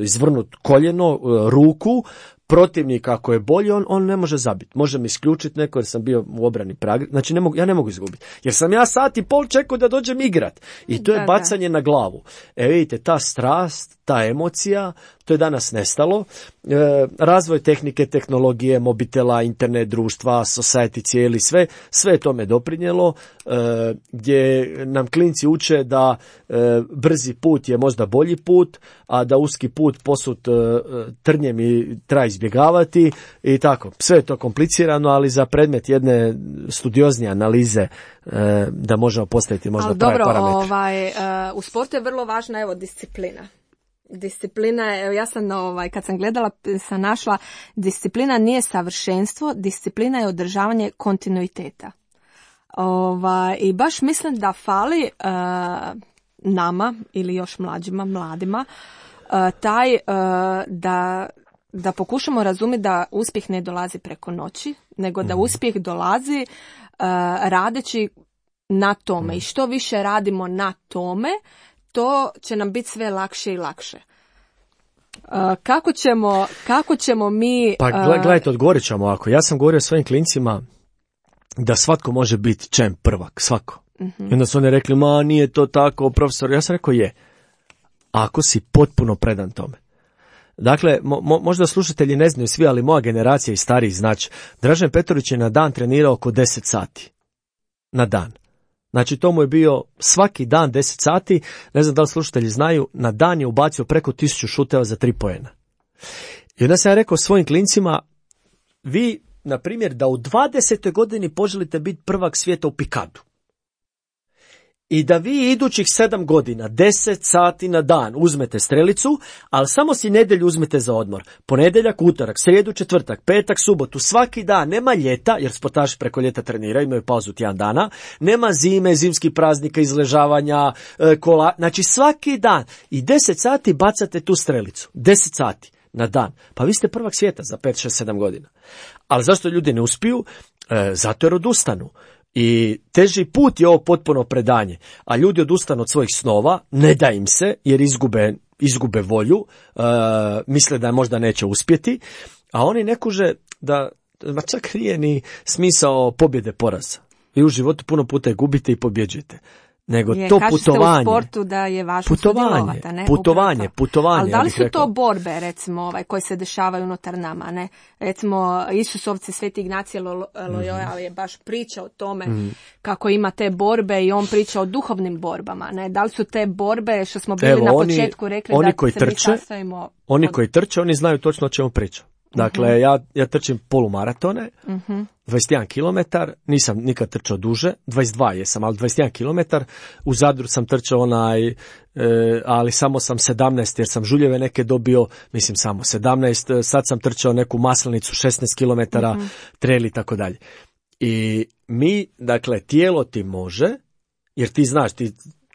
izvrnuti koljeno, ruku, protivnik ako je bolji, on ne može zabiti. Može mi isključiti neko jer sam bio u obrani Praga. Znači ja ne mogu izgubiti. Jer sam ja sat i pol čekao da dođem igrat. I to je bacanje na glavu. Vidite, ta strast, ta emocija, to je danas nestalo. Razvoj tehnike, tehnologije, mobitela, internet, društva, society cijeli, sve je tome doprinijelo, gdje nam klinci uče da brzi put je možda bolji put, a da uski put posut trnjem i treba izbjegavati i tako. Sve je to komplicirano, ali za predmet jedne studioznije analize da možemo postaviti možda prave parametre. U sportu je vrlo važna disciplina. Disciplina je, ja sam kad sam gledala sam našla, disciplina nije savršenstvo, disciplina je održavanje kontinuiteta. I baš mislim da fali nama ili još mladima taj da pokušamo razumjeti da uspjeh ne dolazi preko noći, nego da uspjeh dolazi radeći na tome. I što više radimo na tome, to će nam biti sve lakše i lakše. Kako ćemo mi... Pa gledajte, odgovorit ćemo ovako. Ja sam govorio svojim klincima da svatko može biti čem prvak, svako. I onda su oni rekli, nije to tako, profesor. Ja sam rekao, je. Ako si potpuno predan tome. Dakle, možda slušatelji ne znaju svi, ali moja generacija i stariji znači, Dražen Petrović je na dan trenirao oko 10 sati. Na dan. Znači, to mu je bio svaki dan 10 sati, ne znam da li slušatelji znaju, na dan je ubacio preko 1000 šuteva za 3 poena. I onda sam ja rekao svojim klincima, vi, na primjer, da u 20. godini poželite biti prvak svijeta u pikadu. I da vi idućih 7 godina, 10 sati na dan uzmete strelicu, ali samo si nedjelju uzmete za odmor. Ponedjeljak, utorak, srijedu, četvrtak, petak, subotu, svaki dan, nema ljeta, jer sportaši preko ljeta treniraju, imaju pauzu tjedan dana, nema zime, zimskih praznika, izležavanja, kola, znači svaki dan i 10 sati bacate tu strelicu, 10 sati na dan. Pa vi ste prvak svijeta za 5, 6, 7 godina. Ali zašto ljudi ne uspiju? Zato jer odustanu. I teži put je ovo potpuno predanje, a ljudi odustanu od svojih snova, ne da im se jer izgube volju, misle da možda neće uspjeti, a oni ne kuže da čak nije ni smisao pobjede poraza. Vi u životu puno puta je gubite i pobjeđujete. Nego to putovanje. U sportu da je važno sudjelovati, ne? Putovanje. Ali da li su to borbe, recimo, koje se dešavaju unutar nama, ne? Recimo, Isusovci, Sveti Ignacije Loyola je baš priča o tome kako ima te borbe i on priča o duhovnim borbama, ne? Da li su te borbe, što smo bili na početku rekli, oni da koji se trče, mi sastavimo... Oni koji trče, oni znaju točno o čemu pričam. Dakle, ja trčim polumaratone, 21 km, nisam nikad trčao duže, 22 jesam, ali 21 km, u Zadru sam trčao ali samo sam 17 jer sam žuljeve neke dobio, mislim samo 17, sad sam trčao neku Maslenicu 16 km, trail i tako dalje. I mi, dakle, tijelo ti može, jer ti znaš,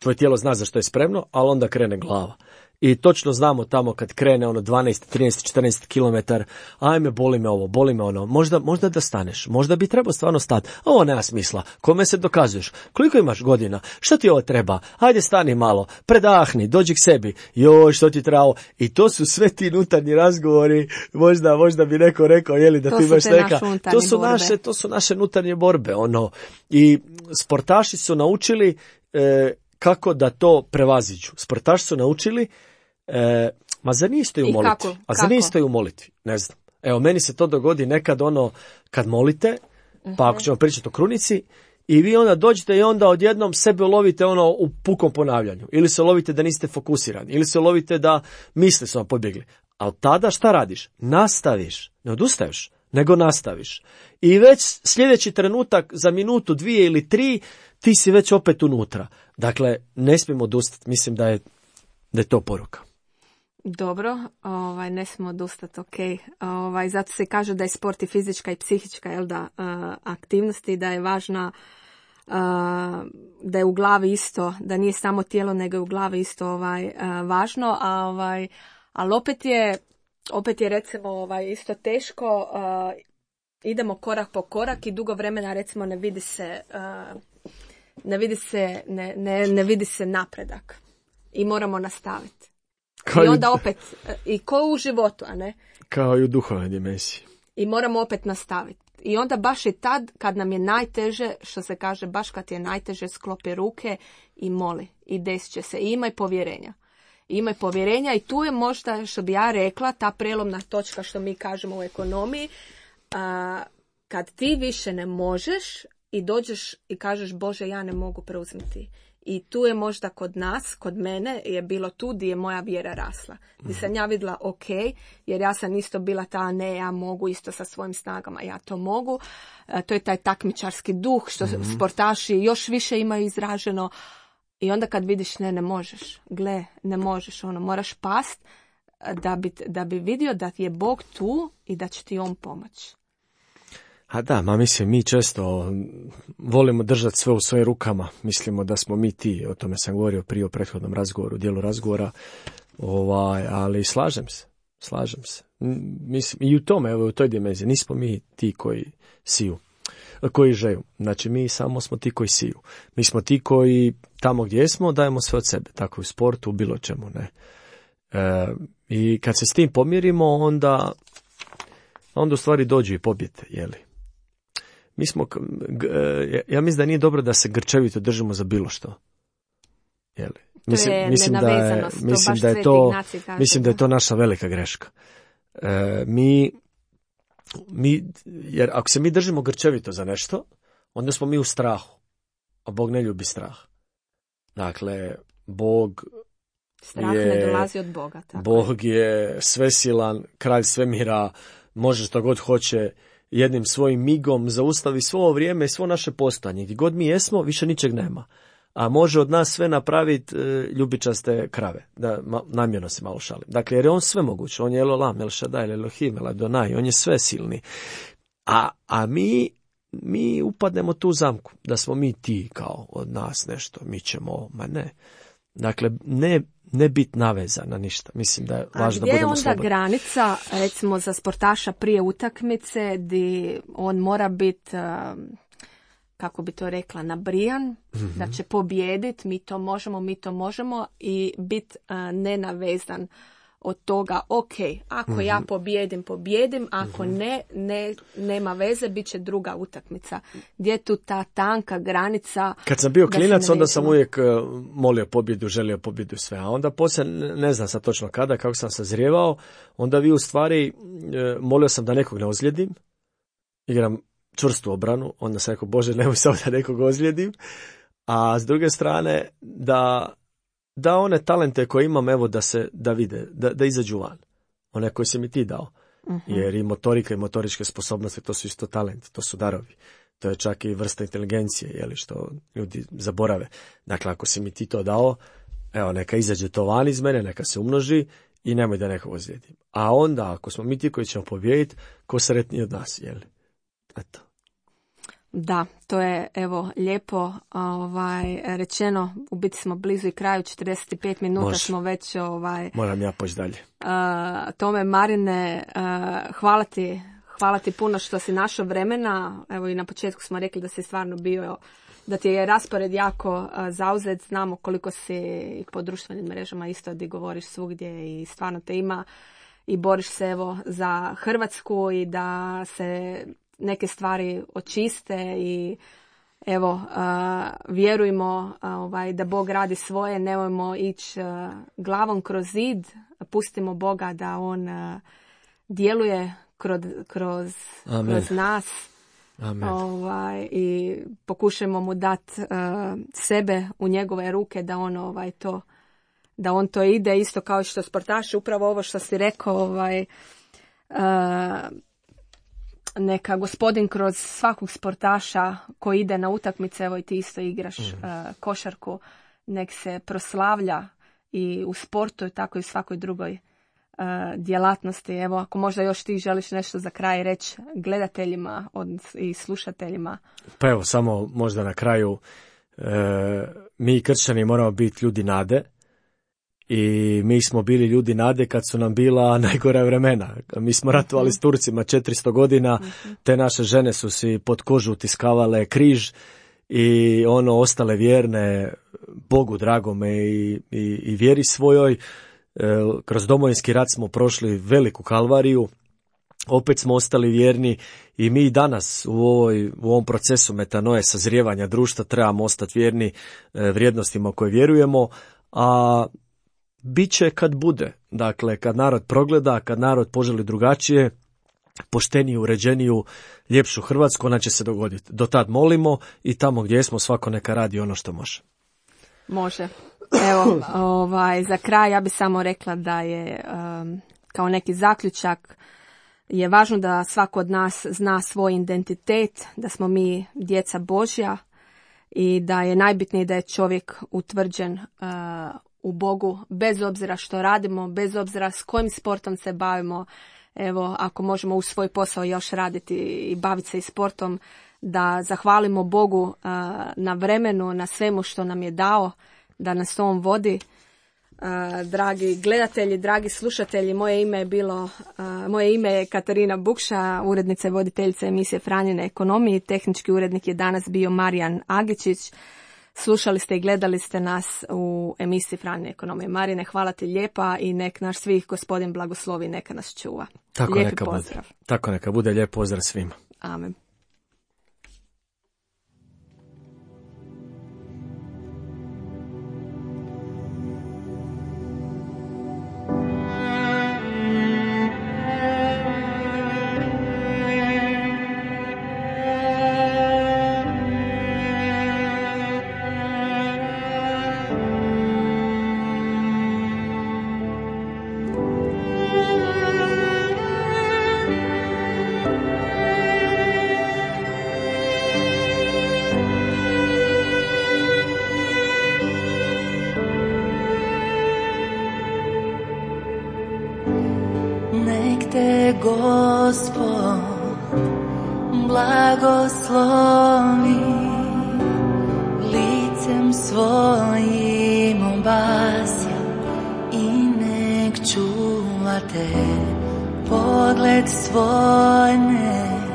tvoje tijelo zna za što je spremno, ali onda krene glava. I točno znamo tamo kad krene 12, 13, 14 km, ajme, boli me ovo, boli me ono, možda da staneš, možda bi trebao stvarno stati, ovo nema smisla, kome se dokazuješ, koliko imaš godina, što ti ovo treba, ajde stani malo, predahni, dođi k sebi, joj, što ti trebao, i to su sve ti unutarnji razgovori, možda bi neko rekao, jeli, da ti imaš neka, to su naše unutarnje borbe, i sportaši su naučili kako da to prevaziđu. Sportaši su naučili, zar nije stoji u molitvi? A zar nije stoji u molitvi? Ne znam. Evo, meni se to dogodi nekad kad molite, pa ako ćemo pričati o krunici, I vi onda dođete i onda odjednom sebe lovite ono u pukom ponavljanju. Ili se lovite da niste fokusirani. Ili se lovite da misli su vam pobjegli. A od tada šta radiš? Nastaviš. Ne odustaješ, nego nastaviš. I već sljedeći trenutak za minutu, 2 ili 3 ti si već opet unutra. Dakle, ne smijemo odustati. Mislim da je to poruka. Dobro, ne smijemo odustati, ok. Zato se kaže da je sport i fizička i psihička aktivnosti, da je važna, da je u glavi isto, da nije samo tijelo, nego je u glavi isto važno, ali opet je recimo isto teško, idemo korak po korak i dugo vremena recimo ne vidi se napredak i moramo nastaviti. I onda opet, i ko u životu, a ne? Kao i u duhovnoj dimenziji. I moramo opet nastaviti. I onda baš i tad, kad nam je najteže, što se kaže, baš kad je najteže, sklopi ruke i moli. I desit će se. I imaj povjerenja. Imaj povjerenja i tu je možda, što bi ja rekla, ta prelomna točka što mi kažemo u ekonomiji, kad ti više ne možeš i dođeš i kažeš Bože, ja ne mogu preuzeti. I tu je možda kod nas, kod mene je bilo tu gdje je moja vjera rasla. Gdje sam ja vidjela ok, jer ja sam isto bila ta ne, ja mogu isto sa svojim snagama, ja to mogu. To je taj takmičarski duh što sportaši još više imaju izraženo. I onda kad vidiš ne možeš, ne možeš, moraš past da bi vidio da je Bog tu i da će ti on pomoći. A da, mislim, mi često volimo držati sve u svojim rukama. Mislimo da smo mi ti, o tome sam govorio prije u prethodnom razgovoru, dijelu razgovora, ali slažem se. Mislim, i u tome, u toj dimenziji, nismo mi ti koji siju, koji žeju. Znači, mi samo smo ti koji siju. Mi smo ti koji tamo gdje smo dajemo sve od sebe, tako u sportu, u bilo čemu, ne. I kad se s tim pomirimo, onda u stvari dođu i pobjede, jeli. Ja mislim da nije dobro da se grčevito držimo za bilo što. Jeli? Mislim da je to naša velika greška. Jer ako se mi držimo grčevito za nešto, onda smo mi u strahu. A Bog ne ljubi strah. Dakle, strah ne dolazi od Boga. Tako. Bog je svesilan, kralj svemira, može što god hoće, jednim svojim migom zaustavi svo ovo vrijeme i svo naše postojanje. Gdje god mi jesmo, više ničeg nema. A može od nas sve napraviti ljubičaste krave. Da, namjerno se malo šalim. Dakle, jer je on sve moguće. On je Elolam, El Shaddai, Elohim, El Adonai. On je sve silni. A mi upadnemo tu zamku. Da smo mi ti kao od nas nešto. Mi ćemo, ne. Dakle, ne biti navezan na ništa. Mislim da je važno da budemo slobodni. A gdje je onda granica, recimo, za sportaša prije utakmice, gdje on mora biti, kako bi to rekla, nabrijan, da će pobijediti, mi to možemo i biti nenavezan od toga, ok, ako ja pobijedim, ako nema veze, bit će druga utakmica. Gdje je tu ta tanka granica? Kad sam bio klinac, onda sam uvijek molio pobjedu, želio pobjedu sve, a onda poslije, ne znam sad točno kada, kako sam sazrijevao, onda vi u stvari, molio sam da nekog ne ozlijedim, igram čvrstu obranu, onda sam rekao, Bože, nemoj samo da nekog ozlijedim, a s druge strane, da one talente koje imam, evo, da vide, da izađu van. One koje si mi ti dao. Jer i motorika i motoričke sposobnosti, to su isto talenti, to su darovi. To je čak i vrsta inteligencije, jeli, što ljudi zaborave. Dakle, ako si mi ti to dao, evo, neka izađe to van iz mene, neka se umnoži i nemoj da nekog ozlijedim. A onda, ako smo mi ti koji ćemo pobijediti, ko sretniji od nas, jeli? Eto. Da, to je evo lijepo rečeno, u biti smo blizu i kraju, 45 minuta Može. Smo već moram ja poći dalje. Tome, Marine, hvala ti puno što si našao vremena. Evo i na početku smo rekli da si stvarno bio, da ti je raspored jako zauzet, znamo koliko si po društvenim mrežama isto di govoriš svugdje i stvarno te ima i boriš se evo za Hrvatsku i da se neke stvari očiste i evo, vjerujmo da Bog radi svoje, nemojmo ići glavom kroz zid, pustimo Boga da on djeluje kroz nas Amen. I pokušajmo mu dati sebe u njegove ruke da on da on to ide, isto kao što sportaši, upravo ovo što si rekao, neka gospodin kroz svakog sportaša koji ide na utakmice, evo i ti isto igraš košarku, nek se proslavlja i u sportu i tako i u svakoj drugoj djelatnosti. Evo, ako možda još ti želiš nešto za kraj reći gledateljima i slušateljima. Pa evo, samo možda na kraju, mi kršćani moramo biti ljudi nade. I mi smo bili ljudi nade kad su nam bila najgora vremena. Mi smo ratovali s Turcima 400 godina, te naše žene su si pod kožu utiskavale križ i ostale vjerne Bogu dragome i vjeri svojoj. Kroz Domovinski rat smo prošli veliku kalvariju, opet smo ostali vjerni i mi danas u ovom procesu metanoje, sazrijevanja društva, trebamo ostati vjerni vrijednostima koje vjerujemo, a bit će kad bude. Dakle, kad narod progleda, kad narod poželi drugačije, pošteniju, uređeniju, ljepšu Hrvatsku, ona će se dogoditi. Do tad molimo i tamo gdje smo, svako neka radi ono što može. Može. Evo, za kraj ja bih samo rekla da je kao neki zaključak je važno da svako od nas zna svoj identitet, da smo mi djeca Božja i da je najbitnije da je čovjek utvrđen u Bogu, bez obzira što radimo, bez obzira s kojim sportom se bavimo. Evo, ako možemo u svoj posao još raditi i baviti se i sportom, da zahvalimo Bogu na vremenu, na svemu što nam je dao, da nas on vodi. Dragi gledatelji, dragi slušatelji, moje ime je Katarina Bukša, urednica i voditeljica emisije Franjine ekonomije. Tehnički urednik je danas bio Marijan Agičić. Slušali ste i gledali ste nas u emisiji Franjine ekonomije. Marine, hvala ti lijepa i nek naš svih gospodin blagoslovi, neka nas čuva. Lijepi pozdrav. Tako neka bude, lijep pozdrav svima. Amen. Gospod blagoslovi, licem svojim obasja i nek čuva te, pogled svoj nek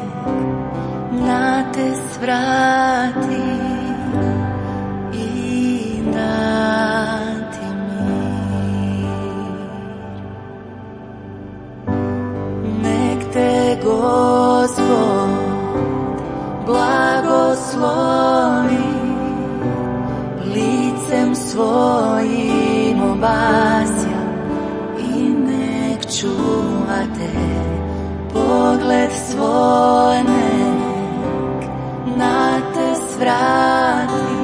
na te svrati i dati mir. Nek te Gospod blagoslovi, licem svojim obasja i nek čuva te, pogled svoj nek na te svrati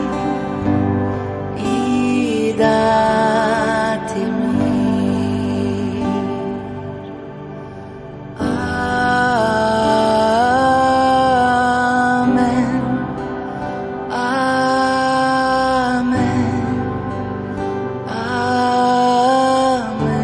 i dati mir. Amen, amen, amen, amen.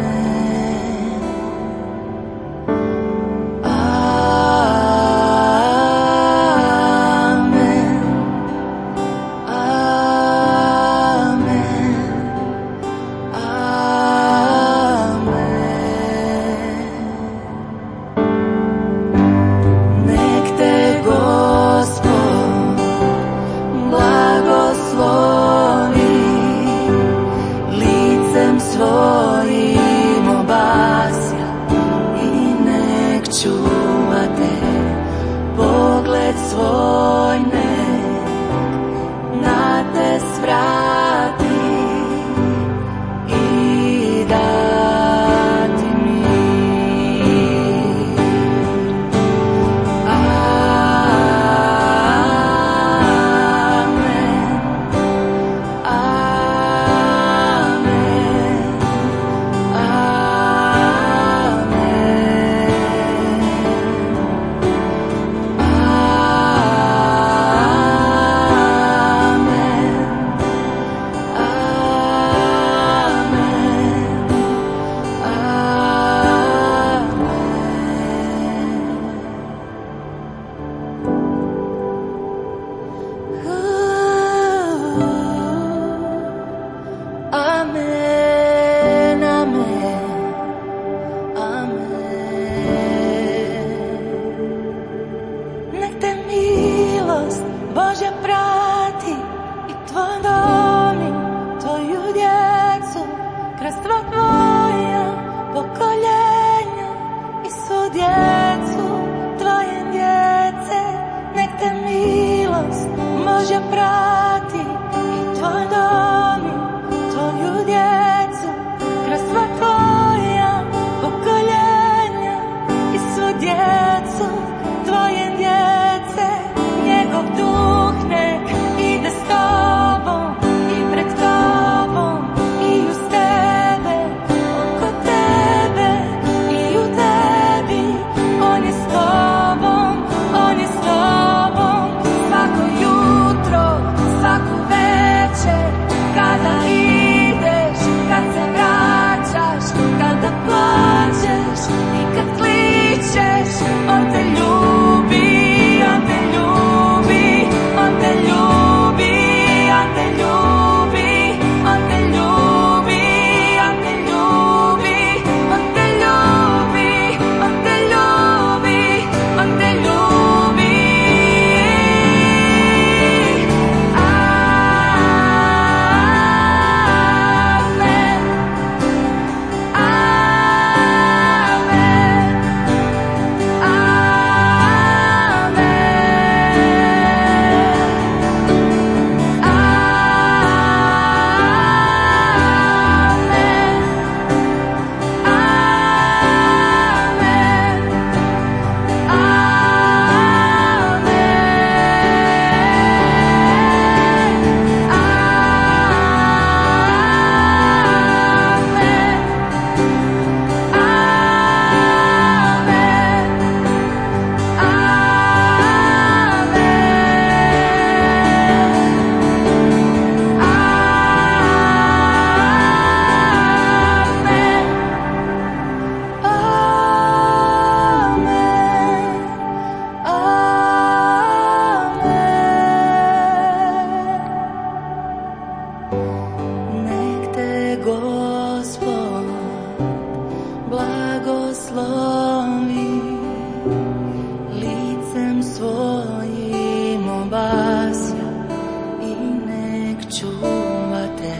čuvate,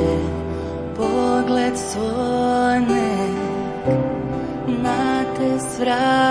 pogled svoj nek na te svrat.